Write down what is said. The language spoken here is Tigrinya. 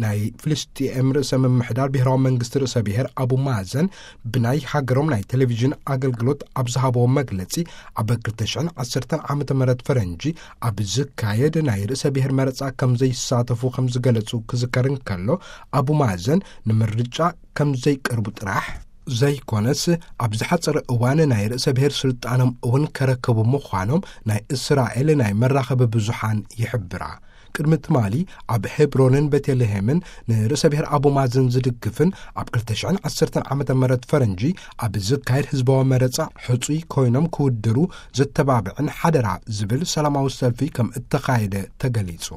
ናይ ፍልስጤም ርእሰ ምምሕዳር ብሔራዊ መንግስቲ ርእሰ ብሔር ኣቡ ማዘን ብናይ ሃገሮም ናይ ቴሌቪዥን ኣገልግሎት ኣብ ዝሃበዎ መግለጺ፣ ኣብ ክልተ ሽሕን ዓሰርተን ዓመተ ምህረት ፈረንጂ ኣብ ዝካየድ ናይ ርእሰ ብሔር መረጻ ከም ዘይሳተፉ ከም ዝገለጹ ክዝከር እንከሎ፣ ኣቡ ማዘን ንምርጫ ከም ዘይቀርቡ ጥራሕ ዘይኮነስ፣ ኣብ ዝሓጸረ እዋን ናይ ርእሰ ብሔር ስልጣኖም እውን ከረከቡ ምዃኖም ናይ እስራኤል ናይ መራኸቢ ብዙሓን ይሕብራ። ቅድሚ ትማሊ ኣብ ሄብሮንን ቤተልሔምን ንርእሰ ብሔር ኣቡ ማዘን ዝድግፍን ኣብ ክልተ ሽሕን ዓሰርተን ዓመተ ምህረት ፈረንጂ ኣብ ዝካየድ ህዝባዊ መረጻ ሕጹይ ኮይኖም ክውድሩ ዘተባብዕን ሓደራ ዝብል ሰላማዊ ሰልፊ ከም እተኻየደ ተገሊጹ።